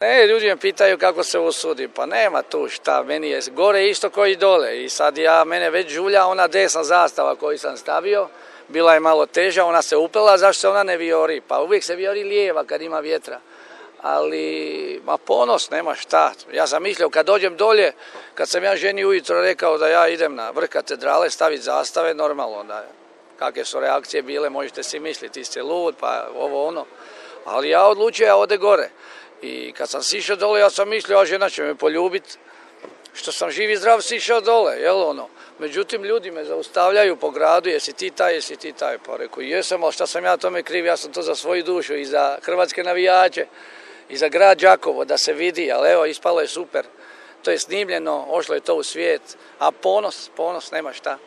Ne, ljudi me pitaju kako se usudi, pa nema tu šta, meni je gore isto koji dole i sad mene već žulja ona desna zastava koju sam stavio, bila je malo teža, ona se upela, zašto se ona ne vijori, pa uvijek se vijori lijeva kad ima vjetra, ali ponos, nema šta, ja sam mislio kad dođem dolje, kad sam ja ženi ujutro rekao da ja idem na vrh katedrale staviti zastave, normalno da kakve su reakcije bile, možete si misliti, ti ste lud, pa ovo ono, ali ja odlučio, ja ode gore. I kad sam sišao dole, ja sam mislio, a žena će me poljubiti, što sam živ i zdrav sišao dole, jel ono. Međutim, ljudi me zaustavljaju po gradu, jesi ti taj, pa rekao, jesam, ali šta sam ja tome kriv, ja sam to za svoju dušu i za hrvatske navijače i za grad Đakovo da se vidi, ali evo, ispalo je super. To je snimljeno, ošlo je to u svijet, a ponos, nema šta.